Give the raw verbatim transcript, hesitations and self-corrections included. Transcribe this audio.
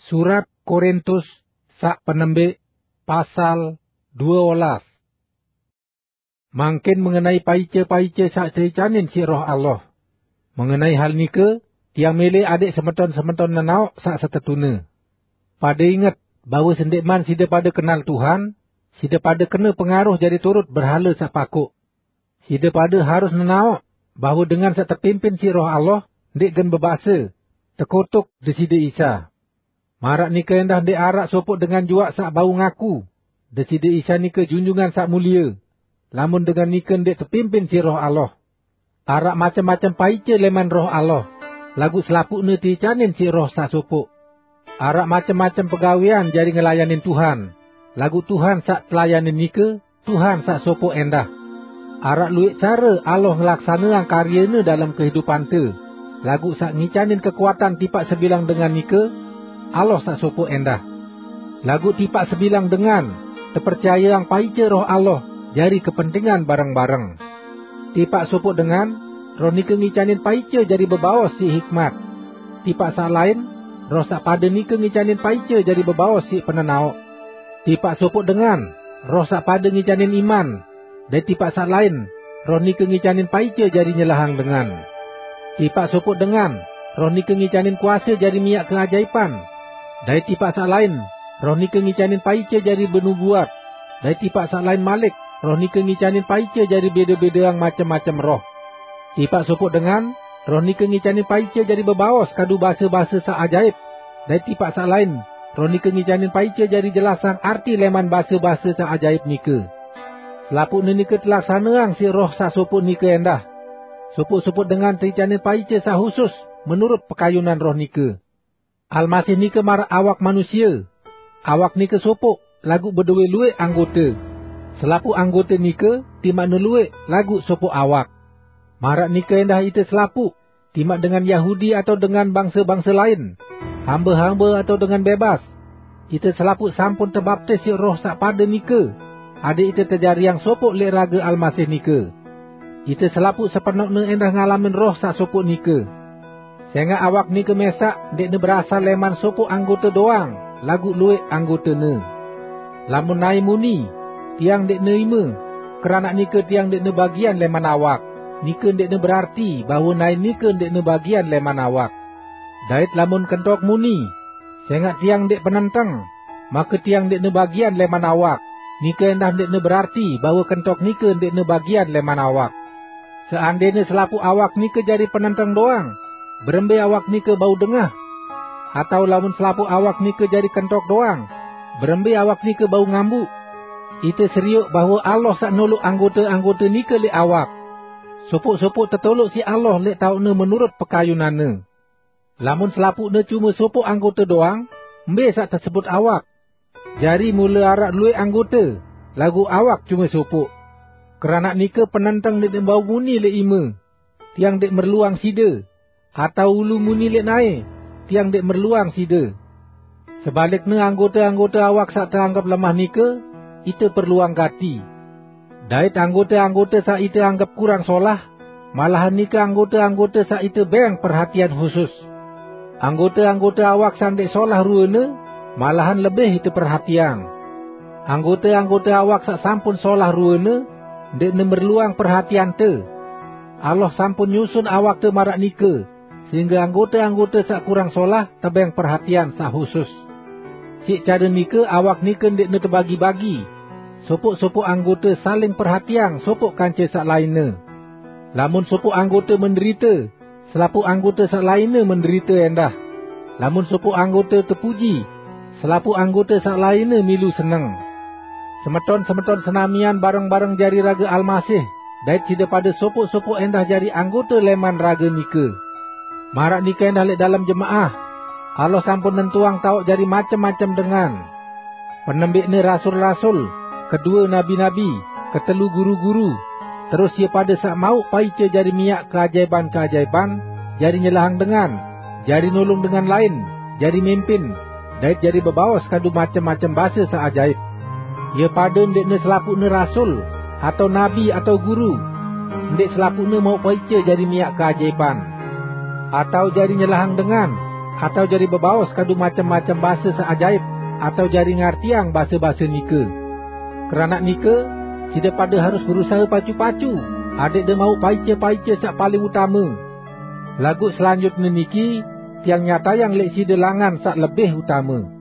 Surat Korintus saq penembik, pasal due olas. Mangkin mengenai paice-paice saq teicanin siq Roh Allah. Mengenai hal nike, tiang mele adeq semeton-semeton nenaoq saq setetune. Pade inget bahwe sendeqman side pade kenal Tuhan, side pade kene pengaruh jari turut berhale saq pakoq. Side pade harus nenaoq bahwe dengan saq tepimpin siq Roh Allah ndeq gen bebase, "Tekutuk Deside Isa." Maraq nike endah ndeq araq sopoq dengan juaq saq bau ngaku, "Deside Isa nike Junjungan Saq Mulie," lamun dengan nike ndeq tepimpin siq Roh Allah. Araq macem-macem paice leman Roh Allah, laguq selapuqne teicanin siq Roh saq sopoq. Araq macem-macem pegawean jari ngelayanin Tuhan, laguq Tuhan saq telayanin nike Tuhan saq sopoq endah. Araq lueq care Allah ngelaksaneang karyene dalem kehidupante, laguq saq ngicanin kekuatan tipaq sebilang dengan nike Allah saq sopoq endah. Laguq tipaq sebilang dengan tepercayeang paice Roh Allah jari kepentingan bareng-bareng. Tipaq sopoq dengan, Roh nike ngicanin paice jari bebaos siq hikmat. Tipaq saq lain, Roh saq pade nike ngicanin paice jari bebaos siq penenaoq. Tipaq sopoq dengan, Roh saq pade ngicanin iman, dait tipaq saq lain, Roh nike ngicanin paice jari nyelahang dengan. Tipaq sopoq dengan, Roh nike ngicanin kuase jari miaq keajaipan, dait tipaq saq lain, Roh nike ngicanin paice jari benubuat, dait tipaq saq lain malik, Roh nike ngicanin paice jari bede-bedeang macem-macem roh. Tipaq sopoq dengan, Roh nike ngicanin paice jari bebaos kadu base-base saq ajaip, dait tipaq saq lain, Roh nike ngicanin paice jari jelasang arti leman base-base saq ajaip nike. Selapuqne nike telaksaneang siq Roh saq sopoq nike endah. Sopoq-sopoq dengan teicanin paice saq husus menurut pekayunan Roh nike. Almasih nike maraq awak manusie. Awak nike sopoq, laguq bedowe lueq anggote. Selapuq anggote nike timaqne lueq, laguq sopoq awak. Maraq nike endah ite selapuq, timaq dengan Yahudi atao dengan bangse-bangse lain, hambe-hambe atao dengan bebas, ite selapuq sampun tebaptis siq Roh saq pade nike, adeq ite tejariang sopoq leq rage Almasih nike. Ite selapuq sepenoqne endah ngalamin Roh saq sopoq nike. Sengaq awak nike mesaq ndeqne berasal leman sopoq anggote doang, laguq lueq anggotene. Lamun nae muni, "Tiang ndeqne ime, keranaq nike tiang ndeqne bagian leman awak," nike ndeqne berarti bahwe nae nike ndeqne bagian leman awak. Dait lamun kentok muni, "Sengaq tiang ndeq penenteng, make tiang ndeqne bagian leman awak," nike endah ndeqne berarti bahwe kentok nike ndeqne bagian leman awak. Seandene selapuq awak nike jari penenteng doang, berembe awak nike bau dengah? Atao lamun selapuq awak nike jari kentok doang, berembe awak nike bau ngambuq? Ite serioq bahwe Allah saq noloq anggote-anggote nike leq awak. Sopoq-sopoq tetoloq siq Allah leq taoqne menurut pekayunanne. Lamun selapuqne cume sopoq anggote doang, mbe saq tesebut awak? Jari mule araq lueq anggote, laguq awak cume sopoq. Keranaq nike penenteng ndeq bau muni leq ime, "Tiang ndeq merluang side," atao ulu muni leq nae, "Tiang ndeq merluang side." Sebalikne, anggote-anggote awak saq teanggep lemah nike, ite perluang gati. Dait anggote-anggote saq ite anggep kurang solah, malahan nike anggote-anggote saq ite beng perhatian husus. Anggote-anggote awak saq ndeq solah ruene, malahan lebih ite perhatiang. Anggote-anggote awak saq sampun solah ruene, ndeqne merluang perhatiante. Allah sampun nyusun awakte maraq nike, sehingge anggote-anggote saq kurang solah tebeng perhatian saq husus. Siq care nike awak nike ndeqne tebagi-bagi. Sopoq-sopoq anggote saling perhatiang sopoq kance saq lainne. Lamun sopoq anggote menderite, selapuq anggote saq lainne menderite endah. Lamun sopoq anggote tepuji, selapuq anggote saq lainne milu seneng. Semeton-semeton senamian bareng-bareng jari rage Almasih, dait side pade sopoq-sopoq endah jari anggote leman rage nike. Maraq nike endah leq dalem jemaah, Allah sampun nentuang taoq jari macem-macem dengan. Penembikne rasul-rasul, kedue nabi-nabi, ketelu guru-guru, terus ie pade saq mauq paice jari miaq keajaipan-keajaipan, jari nyelahang dengan, jari nulung dengan lain, jari mimpin, dait jari bebaos kadu macem-macem base saq ajaip. Ie pade ndeqne selapuqne rasul, atao nabi, atao guru. Ndeq selapuqne mauq paice jari miaq keajaipan, atao jari nyelahang dengan, atau jari bebaos kadu macem-macem base saq ajaip, atau jari ngartiang base-base nike. Keranaq nike, side pade harus berusahe pacu-pacu, adekde mauq paice-paice saq paling utame. Laguq selanjutne niki, tiang nyatayang leq side langan saq lebih utame.